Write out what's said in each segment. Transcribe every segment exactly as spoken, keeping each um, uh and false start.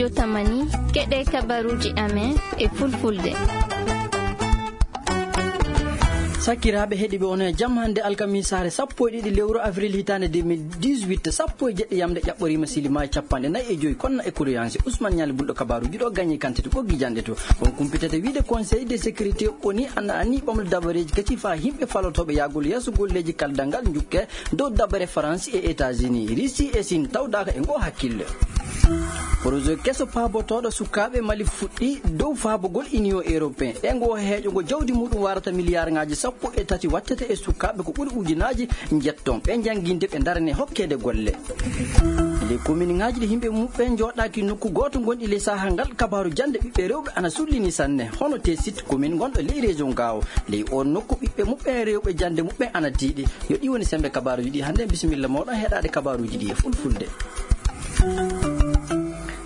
Yo tamani, keɗe kabaruuji amen e fulfulde. Sakiraaɓe heɗiiɓe, on e jam hannde alkamisaare sappo e ɗiɗi lewru avril hitaande deux mille dix-huit, sappo e jeɗɗi yamnde ƴaɓɓoriima, silima e capanɗe nayi e joyi konna e kuruyansi. Ousmane Ñaali Bulɗo, kabaruuji ɗo gañi kantiti ɓoggi janɗe to. On kumpitata wiide Conseil de sécurité O N U ana ani ɓamde dabareeji kesi faa yimɓe falotooɓe yahgol yeeso golleeji kaldal ngal njukke dow dabare Faransi e États-Unis, Russie e Siin tawdaaka e ngoo hakkille. Projet keso paabotooɗo sukaaɓe Mali fuɗɗii dow faabugol Union Européen. E ngoo heeƴo ngo jawdi muuɗum waarata miliyaarŋaaji sappo e tati wattete e sukaaɓe ko ɓuri ujunaaji njetton ɓe jannginde ɓe ndarane hokkeede golle. Ley kominŋaaji ɗi yimɓe muɓɓen njooɗaaki nokku gooto ngonɗi ley sahaa ngal, kabaaru jannde ɓiɓɓe rewɓe ana sullini sanne. Hono te site commune ngonɗo ley région Gaawo. Ley oon nokku ɓiɓɓe muɓɓen rewɓe jannde muɓɓen ana tiiɗi. Yo ɗi woni semmbe kabaaruuji ɗi hannde. Bisimilla mooɗon heɗaade kabaaruuji ɗi e fulfulde.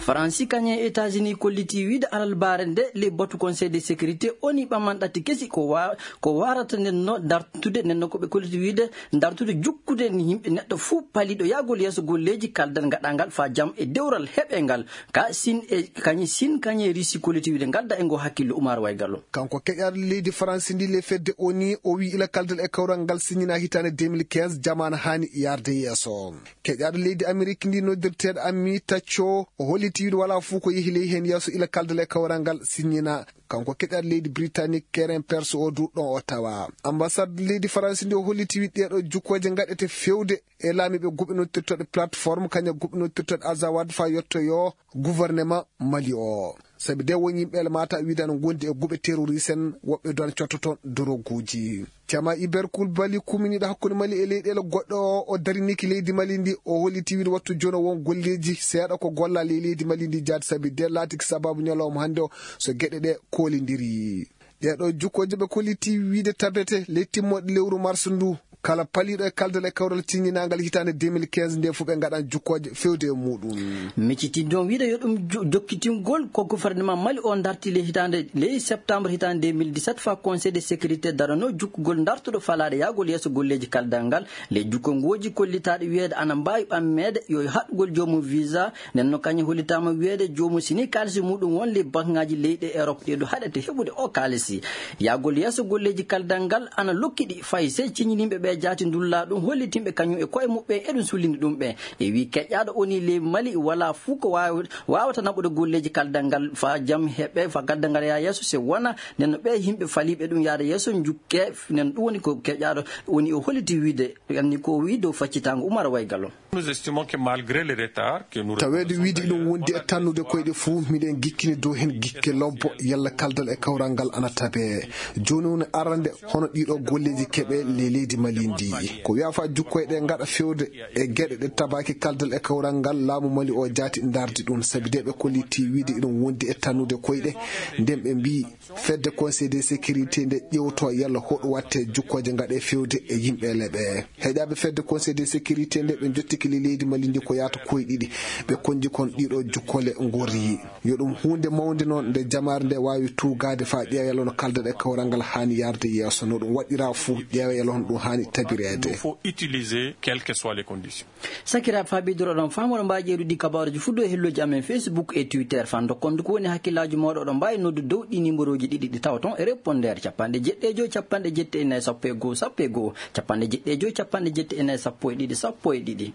Faransi kañum e États-Unis kollitii wiide alalbaare nde ley batu Conseil de sécurité O N U ɓaman ɗatti kesi ko wa-, ko waarata nden no dartude nden no ko ɓe kollitii wiide dartude jukkude ni yimɓe neɗɗo fuu paliiɗo yahgol yeeso golleeji kaldal ngaɗangal faa jam e dewral heɓe ngal. Ka Siin e kañi Siin kañi e Russie kollitii wiide ngadda e ngoo hakkillo. Umar Waygallo. Kanko keƴaaɗo leydi Faransi ndi ley fedde O N U, o wi'i ila kaldal e kawral ngal siññinaa hitaande deux mille quinze, jamaanu haani yaarde yeeso. Keƴaaɗo leydi Amerik ndi noddirteeɗo Ami Tacco, o hollitii wiide walaa fuu ko yehi ley heen yeeso ila kaldal e kawral ngal siññinaa. Kanko keƴaaɗo leydi Britanik Keren Perse o du ɗon o tawa. Ambasaad leydi Faransi ndi o hollitii wiide ɗeeɗo jukkooje ngaɗete fewde e laamiiɓe guɓe noddirtooɗe plateforme, kañum guɓe noddirtooɗe Azawad faa yottoyoo gouvernement Mali o. Sabi de won yimɓe ele mata wiide ana ngondi e guɓe terroriste en, woɓɓe du ana cotto toon doroguuji. Cama Iber Kul Bali kuminiiɗo hakkunde Mali e leyɗeele goɗɗe o, o dariniki leydi Mali ndi, o holliti wiide wattu jooni o won golleeji seeɗa ko golla ley leydi Mali ndi jaati, sabi de laatiki sababu ñalawma hannde o so geɗe ɗe koolindiri. Ɗee ɗoo jukkooje ɓe kolliti wiide tabete ley timmoode lewru mars ndu, kala paliiɗo e kaldal e kawral ciññinaangal hitaande deux mille quinze nde fof ɓe ngaɗan jukkooje fewde e muuɗum. Miccitinɗon wiide yo ɗum jo-, jokkitingol ko gouvernement Mali o darti ley hitaande, ley septembre hitaande deux mille dix-sept faa Conseil de sécurité darano jukkugol dartuɗo falaade yahgol yeeso golleeji kaldal ngal. Ley jukkongooji kollitaaɗi wiyeede ana mbaawi ɓammeede yo haɗugol joomum visa. Nden no kañum hollitaama wiyeede joomum sini kaalisi muuɗum won ley banŋaaji leyɗe Erop ɗee ɗo haɗete heɓude o kaalisi. Yahgol yeeso golleeji kaldal ngal ana lokkiɗi fay sey ciñininɓe ɓe jaati ndullaa ɗum hollitinɓe kañum e koye muɓɓen eɗum sullini ɗum ɓe. E wii keƴaaɗo O N U ley Mali walaa fuu ko waaw-, waawata naɓude golleeji kaldal ngal faa jam heɓe, faa kaldal ngal yaa yeeso si wona nden no ɓee yimɓe faliiɓe ɗum yaade yeeso njukke. Nden ɗum woni ko keƴaaɗo O N U o holliti wiide. Anni ko o wii dow faccitaango Umar Waygalo. Nous estimons que malgré les retards que nous Taweede wiide iɗum wondi e tannude koyɗe fuu, miɗen gikkini dow heen gikke lobbo, yalla kaldal e kawral ngal ana tabee. Jooni woni arande hono ɗiɗo golleeji keɓe ley leydi Mali ndi. Ko wiyaa faa jukkoyɗe ngaɗa fewde e geɗe ɗe tabaaki kaldal e kawral ngal, laamu Mali o jaati ndardi ɗum, sabi de ɓe kolliti wiide iɗum wondi e tannude koyɗe, nden ɓe mbii fedde Conseil de sécurité nde ƴeewto yalla hoɗo watte jukkooje ngaɗe fewde e yimɓe leɓe. Heƴaaɓe fedde Conseil de sécurité nde ɓe njottiki le-, leydi Mali ndi ko yaata koye ɗiɗi. Ɓe konji kon ɗiɗo jukkole ngori. Yo ɗum huunde mawnde noon nde jamaare nde waawi tuugaade faa ƴeewa yalla no kaldal e kawral ngal haani yaarde yeeso. No ɗum waɗiraa fuu ƴeewa yalla hono ɗum haani tabireede. Il faut utiliser quelles que soient les conditions. Sakiraaɓe, faa ɓeydoro oɗon faama, oɗon mbaawi ƴeewde ɗi kabaaruuji fuu dow e hellooji amen Facebook e Twitter. Faa ndokkon ko woni hakkillaaji mooɗon, oɗon mbaawi noddude dow ɗi nimerooji ɗiɗi ɗi tawton e répondeur capanɗe jeɗɗi e joy, capanɗe jeɗɗi e nayi, sappo e go'o, sappo e go'o, capanɗe jeɗɗi e joy, capanɗe jeɗɗi e nayi, sappo e ɗiɗi, sappo e ɗiɗi.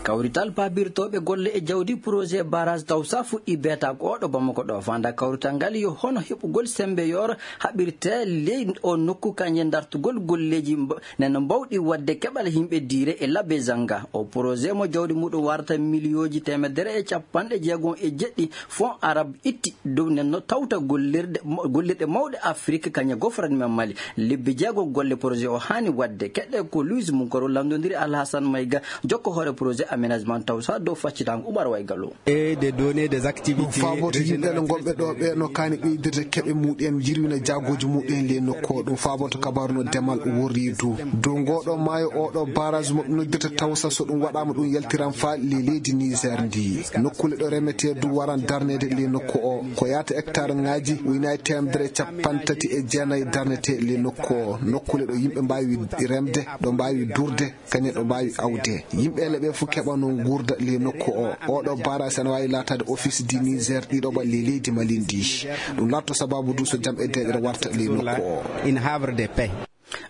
Kawrital paabirtooɓe golle e jawdi projet barrage Tawsa fuɗɗii beetaaka o ɗo Bamako ɗo. Faandaare kawrital ngal yo hono heɓugol semmbe yooro haɓirtee ley o nokku, kañum e dartugol golleeji mba-, nen no mbawɗi waɗde keɓal yimɓe diire e Labezanga. O projet mo jawdi muɗum warata miliyooji teemedere e capanɗe jeegom e jeɗɗi fonds arabes itti dow nen no tawta gollirde, gollirɗe mawɗe Afrik kañum e gouvernement Mali. Lebbi jeego golle projet o haani waɗde. Keɗɗe ko Louise Munkoro lanndondiri Alhassane Maïga, jokko hoore projet aménagement Tawsa dow faccitaango Umar Waygalo. Et des données des activités régionales. Ɗum faaboto yimɓe no ngonɓe ɗo ɓe no kaani ɓeydirde keɓe muɗen, yirwina jaagooji muɗen ley nokku o. Ɗum faaboto kabaaru no demal worri du. Dow ngoo ɗo maayo, oo ɗo barrage mo ɓe noddirta Tawsa, so ɗum waɗaama, ɗum yaltiran faa ley leydi Niger ndi. Nokkuule ɗo remetee du waran darneede ley nokku o. Ko yaata hectare ŋaaji ujunnaaji teemedere e capanɗe tati e jeenayi darnetee ley nokku o. Nokkuule ɗo yimɓe mbaawi remde, ɗo mbaawi duurde, kañum ɗo mbaawi awde. Yimɓe ele ɓe fof keɓa Wano nguurda ley nokku o, oɗo barasi ana waawi laataade office du Niger ɗiɗo ɓalli leydi Mali ndi. Ɗum laatto sababu du so jam e deeƴre warta ley nokku o.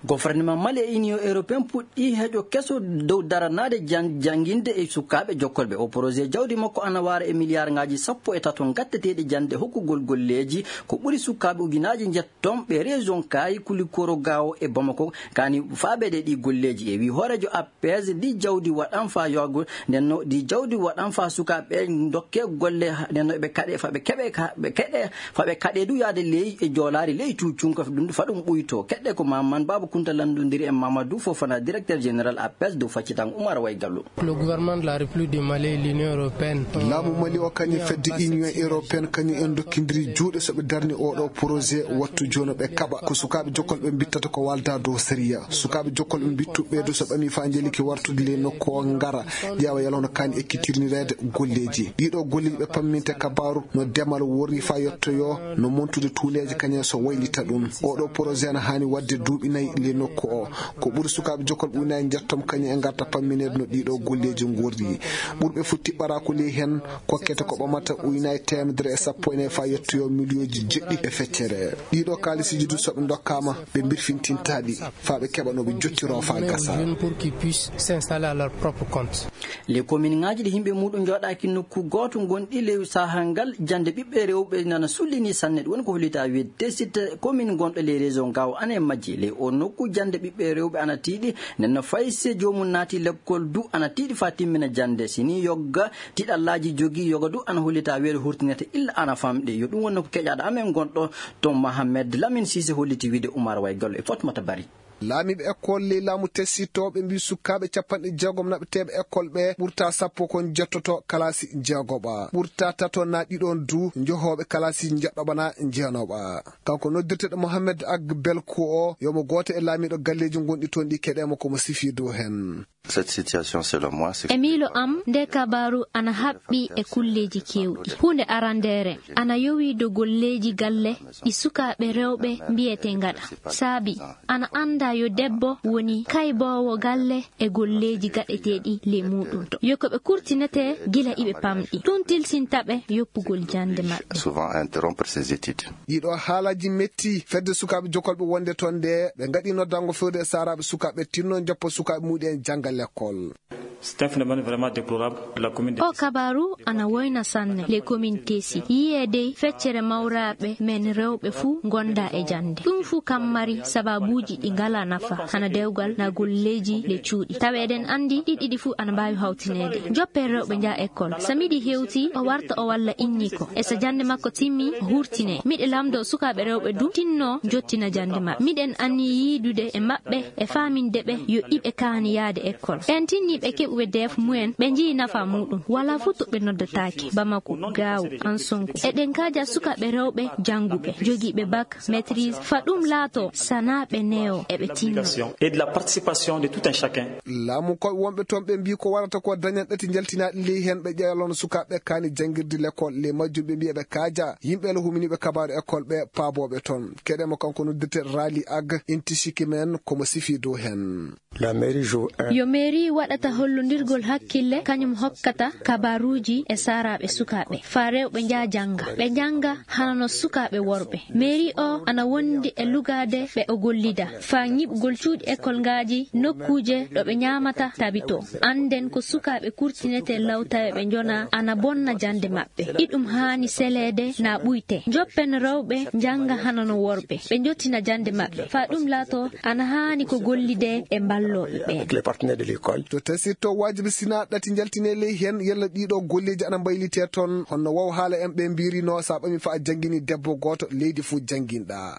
Gouvernement Mali e Union Européenne puɗɗii heƴo keso dow daranaade jan-, jannginde e sukaaɓe jokkolɓe. O projet jawdi makko ana waara e miliyaarngaaji sappo e tato ngatteteeɗi jannde hokkugol golleeji ko ɓuri sukaaɓe ujunaaji njetton ɓe région Kaayi, Kulikoro, Gaawo e Bamako. Kani faabeede ɗi golleeji e wii hooreejo A P S, ɗi jawdi waɗan faa yogo, nden no ɗi jawdi waɗan faa sukaaɓe ndokke golle, nden no ɓe kaɗe, fa ɓe keɓe, ka, ɓe keɗe, fa ɓe kaɗe du yaade ley e joolaari ley cuucunka ɗum fa ɗum ɓuyto. Keɗɗe ko Maman Baba Kunta lanndondiri e Mamadou Fofana, directeur général A P S dow faccitan Oumar Way Gallo. Le gouvernement de la République du Mali et l'Union européenne. Laamu Mali o kañum fedde Union européenne kañum en ndokkindiri juuɗe so ɓe darni oɗo projet wattu jooni ɓe kaɓa. Ko sukaaɓe jokkol ɓe mbittata ko walda dow sariya. Sukaaɓe jokkol ɓe mbittu ɓeydo so ɓami faa njeliki wartude ley nokku o ngara ƴeewa yalo no kaani ekkitirnireede golleeji. Ɗiɗo golleeji ɓe pamminte kabaaru no demal worri faa yettoyo no montude tuuleeje kañum so waylita ɗum. Oɗo projet ana haani waɗde duuɓi nayi ley nokku o. Ko ɓuri sukaaɓe jokkol ɓe ujunaaji njettom kañum e ngarta pammineede no ɗiɗo golleeji ngorri. Ɓurɓe futti ɓaraaku ley heen kokkete ko ɓamata ujunaaji teemedere e sappo e nayi faa yettoyo miliyooji jeɗɗi e feccere. Ɗiɗo kaalisiiji du so ɓe ndokkaama ɓe mbirfintintaɗi faa ɓe keɓa no ɓe jottiroo faa gasa. Pour qu'ils puissent s'installer à leur propre compte. Les commune ŋaaji ɗi yimɓe muuɗum njooɗaaki nokku gooto ngonɗi ley sahaa ngal, jannde ɓiɓɓe rewɓe nana sullini sanne. Ɗum woni ko hollitaa wiyeede Tessit, commune gonɗo ley région Gaawo ana e majji. Ley o nokku jannde ɓiɓɓe rewɓe ana tiiɗi, nden no fay se joomum naati lekkol du ana tiiɗi faa timmina jannde. Si ni yogga tiɗallaaji jogii, yoga du ana hollitaa wiyeede hurtinete illa ana famɗi. Yo ɗum woni ko keƴaaɗo amen gonɗo toon Mohamed Lamine Cissé holliti wiide Oumar Way Gallo e Fatmata Bari. Laamiiɓe école ley laamu Tessit o ɓe mbii sukaaɓe capanɗe jeegom naɓeteeɓe école ɓe ɓurta sappo kon jettoto kalaasi jeegoɓa, ɓurta tato na ɗiɗon du njohooɓe kalaasi njeɗɗoɓa na jeenooɓa. Kanko noddirteeɗo Mohamed Ag Belko o, yomo gooto e laamiiɗo galleeji gonɗi toon ɗi keɗeemo ko mo sifii dow heen. Cette situation, selon moi, c'est E miilo am, nde kabaaru ana haɓɓi e kulleeji keewɗi. Huunde arandeere, ana yowii dow golleeji galle ɗi sukaaɓe rewɓe mbiyetee ngaɗa. Saabi, ana anndaa yo debbo woni kayboowo galle e golleeji gaɗeteeɗi ley muuɗum to. Yo ko ɓe kurtinetee gila iɓe pamɗi. Ɗum tilsinta ɓe yoppugol jannde maɓɓe. Souvent interrompre ses études. Ɗiɗo haalaaji metti fedde sukaaɓe jokolɓe wonde toon nde ɓe ngaɗi noddango fewde e saaraaɓe sukaaɓe tinno njoppa sukaaɓe muɗi en jannga lekkol. C'est un phénomène vraiment déplorable. La commune de O kabaaru ana woyna sanne le commune Tessit. Yiyee dey feccere mawraaɓe men rewɓe fuu ngonda e jannde. Ɗum fuu kam mari sababuuji ɗi ngalaa nafa, hana dewgal na golleeji le cuuɗi. Tawi eɗen anndi ɗi ɗiɗi fuu ana mbaawi hawtineede. Joppe rewɓe njaha école. So miɗi hewti, o warta o walla inni ko. E so jannde makko timmi, o hurtine. Miɗe lamndoo sukaaɓe rewɓe du tinno njottina jannde maɓɓe. Miɗen anni yiidude e maɓɓe e faaminde ɓe yo iɓe kaani yaade école. Ɓeen tinniiɓe keɓuɓe D F mumen, ɓe njii nafa muuɗum. Walaa fuu to ɓe noddataake. Bamako, Gaawo, Ansonko. Eɗen kaaja sukaaɓe rewɓe jannguɓe, jogiiɓe bac, maîtrise, fa ɗum laato sanaa ɓe newo eɓe tinno. Et de la participation de tout un chacun. Laamu koɓe wonɓe toon ɓe mbii ko warata ko dañan ɗati njaltinaaɗi ley heen ɓe ƴeewlano sukaaɓe kaani janngirde lekkol ley majjum ɓe mbii eɓe kaaja yimɓe le huminiiɓe kabaaru école ɓe paabooɓe toon. Keɗeemo kanko noddirte Rali Ag Intisiki men ko mo sifii dow heen. La mairie joue un Yo mairie waɗata hollondirgol hakkille, kañum hokkata kabaaruuji e saaraaɓe sukaaɓe. Faa rewɓe njaa jannga. Ɓe njannga hano no sukaaɓe worɓe. Mairie o ana wondi e lugaade ɓe o gollida. Faa ñiɓugol cuuɗi école ngaaji, nokkuuje ɗo ɓe ñaamata tabitoo. Annden ko sukaaɓe kurtinetee law tawe ɓe njonaa ana bonna jannde maɓɓe. Iɗum haani seleede na ɓuytee. Njoppen rewɓe njannga hano no worɓe. Ɓe njottina jannde maɓɓe. Faa ɗum laatoo ana haani ko gollidee e mballooɓe ɓeen. Avec les partenaires de l'école. To Tessit to waajibi sinaa ɗati njaltinee ley heen yalla ɗiɗo golleeji ana mbaylitee toon. Honno waw haala en ɓe mbiirino sa ɓami faa janngini debbo gooto leydi fuu jannginɗa.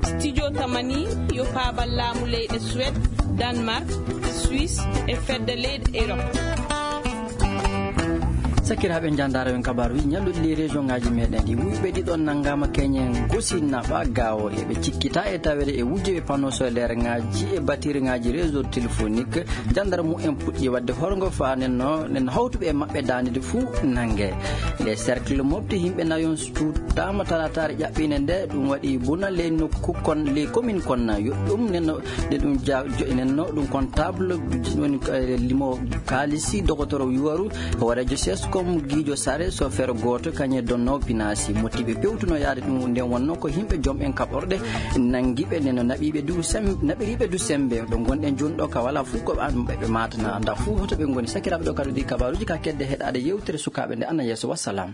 Studio Tamani yo paabal laamu leyɗe Suède, Danemark, Suisse e fedde leyɗe Europe. Sakiraaɓe, njandaare en kabaaruuji ñalluɗi ley région ŋaaji meɗen ɗi. Wuyɓe ɗiɗon nanngaama keñen gosi naɓa gaawo. Eɓe cikkita e taweede e wujjeeɓe panneau solaire ŋaaji e batterie ŋaaji réseau téléphonique. Jandarmu en puɗɗi waɗde horgo faa nen no, nen hawtuɓe e maɓɓe daande fuu nannge. Le cercle mofti yimɓe nayon tuutaama talaataare ƴaɓɓiinde nde. Ɗum waɗi buna ley nokku kon, ley commune kon. Yo ɗum nen no, nde ɗum ja-, jo-, nen no ɗum kon table, woni, eh, limo kaalisi, dogotoro yuwaru, hooreejo sescom Giijo Sare, sofeer gooto, kañe donnoowo pinaasi. Mottiɓe pewtuno yaade ɗum, nden wonno ko yimɓe joom en kaɓorɗe nanngiɓe, nden no naɓiiɓe du sem-, naɓiriiɓe du sembe. Ɗo ngonɗen jooni ɗo ka wala fof ko an ɓe, ɓe maatana. Nda fof hoto ɓe ngoni. Sakiraaɓe, ɗo kadi ɗi kabaaruuji ka kedde heɗaade yewtere sukaaɓe nde ana yeeso. Wassalam.